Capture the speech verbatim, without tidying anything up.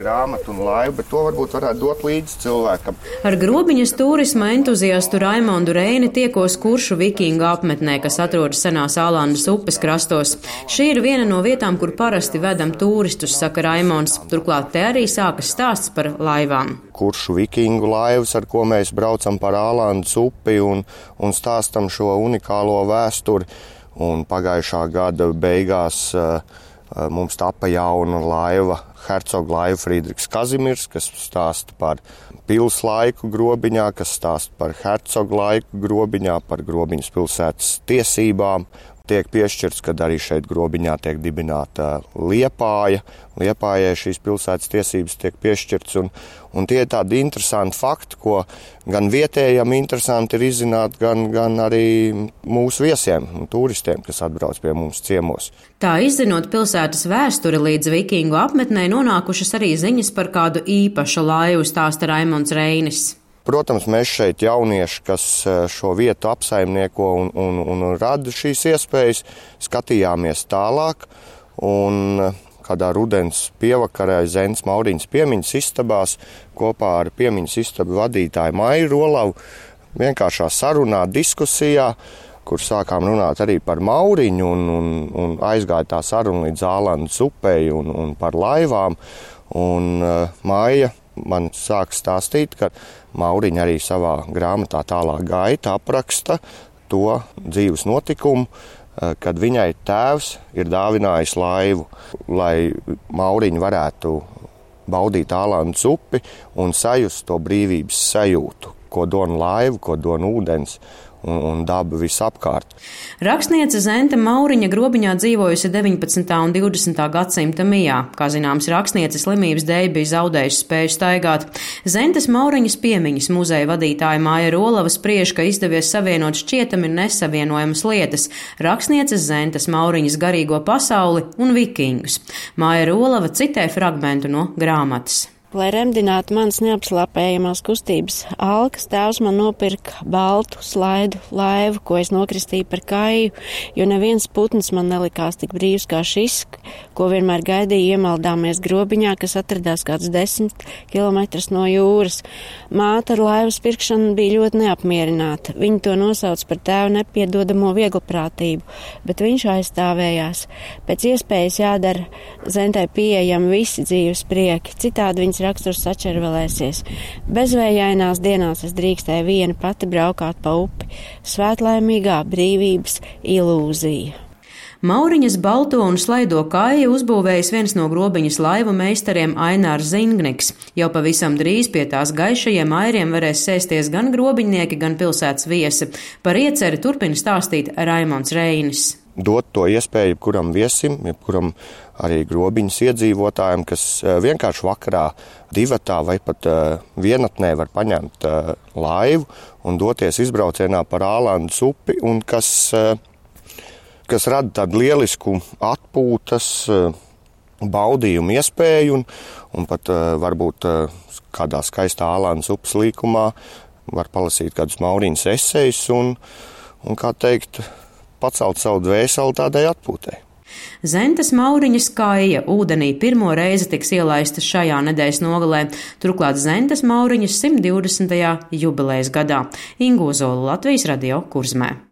grāmatu un laivu, bet to varbūt varētu dot līdzi cilvēkam. Ar grobiņas turisma entuziastu Raimondu Reini tiekos Kuršu vikingu apmetnē, kas atrodas senās Ālandas upes krastos. Šī ir viena no vietām, kur parasti vedam turistus, saka Raimonds. Turklāt te arī sākas stāsts par laivām. Kuršu vikingu laivas, ar ko mēs braucam par Ālandas upi un, un stāstam šo unikālo vēsturi. Un pagājušā gada beigās uh, mums tapa jauna laiva, hercoga laiva Friedrichs Kazimirs, kas stāsta par pils laiku grobiņā, kas stāsta par hercoga laiku grobiņā, par grobiņas pilsētas tiesībām. Tiek piešķirts, kad arī šeit grobiņā tiek dibināta Liepāja. Liepājai šīs pilsētas tiesības tiek piešķirts, un, un tie ir tādi interesanti fakti, ko gan vietējiem interesanti ir izzināt, gan, gan arī mūsu viesiem un turistiem, kas atbrauc pie mums ciemos. Tā izzinot pilsētas vēsturi līdz vikingu apmetnē, nonākušas arī ziņas par kādu īpašu laivu, stāsta Raimonds Reinis. Protams, mēs šeit jaunieši, kas šo vietu apsaimnieko un, un, un rada šīs iespējas, skatījāmies tālāk, un kādā rudens pievakarē Zentes Mauriņas piemiņas istabās kopā ar piemiņas istabu vadītāju Mairu Rolavu vienkāršā sarunā, diskusijā, kur sākām runāt arī par Mauriņu un, un, un aizgāja tā saruna līdz Ālandas upei un, un par laivām, un uh, Maija man sāk stāstīt, ka Mauriņa arī savā grāmatā Tālāk gaita apraksta to dzīves notikumu, kad viņai tēvs ir dāvinājis laivu, lai Mauriņa varētu baudīt Ālandas upi un sajust to brīvības sajūtu, ko dod laiva, ko dod ūdens un, un daba visapkārt. Rakstniece Zente Mauriņa grobiņā dzīvojusi deviņpadsmitā un divdesmitā gadsimta mijā. Kā zināms, rakstniece slimības dēļ bija zaudējusi spēju staigāt. Zentes Mauriņas piemiņas muzeja vadītāja Māja Rolava spriež, ka izdevies savienot šķietami nesavienojamas lietas – rakstnieces Zentes Mauriņas garīgo pasauli un vikingus. Māja Rolava citē fragmentu no grāmatas. Lai remdinātu manas neapslāpējamās kustības alkas, tēvs man nopirka baltu slaidu laivu, ko es nokristīju par kaju, jo neviens putns man nelikās tik brīvs kā šis, ko vienmēr gaidīju iemaldāmies grobiņā, kas atradās kāds desmit kilometrus no jūras. Māte ar laivas pirkšanu bija ļoti neapmierināta. Viņa to nosauc par tēvu nepiedodamo vieglprātību, bet viņš aizstāvējās. Pēc iespējas jādara Zentei pieejami visi dzīves prieki, citādi viņas raksturs sačervelēsies. Bezvējainās dienās es drīkstēju viena pati braukāt pa upi. Svētlaimīgā brīvības ilūzija. Mauriņas balto un slaido kāju uzbūvējis viens no grobiņas laivu meistariem Ainārs Zingniks. Jau pavisam drīz pie tās gaišajiem airiem varēs sēsties gan grobiņnieki, gan pilsētas viesi. Par ieceri turpina stāstīt Raimonds Reinis. Dot to iespēju jebkuram viesim, jebkuram arī grobiņas iedzīvotājiem, kas vienkārši vakarā divatā vai pat vienatnē var paņemt laivu un doties izbraucienā par Ālandas upi, un kas, kas rada tādu lielisku atpūtas baudījumu iespēju, un, un pat varbūt kādā skaistā Ālandas upes līkumā var palasīt kādus Mauriņas esejus un, un kā teikt, pacelt savu dvēseli tādai atpūtei. Zentes Mauriņas kāja ūdenī pirmo reizi tiks ielaista šajā nedēļas nogalē, turklāt Zentes Mauriņas simt divdesmitajā jubilejas gadā. Ingu Ozolu, Latvijas radio Kurzmē.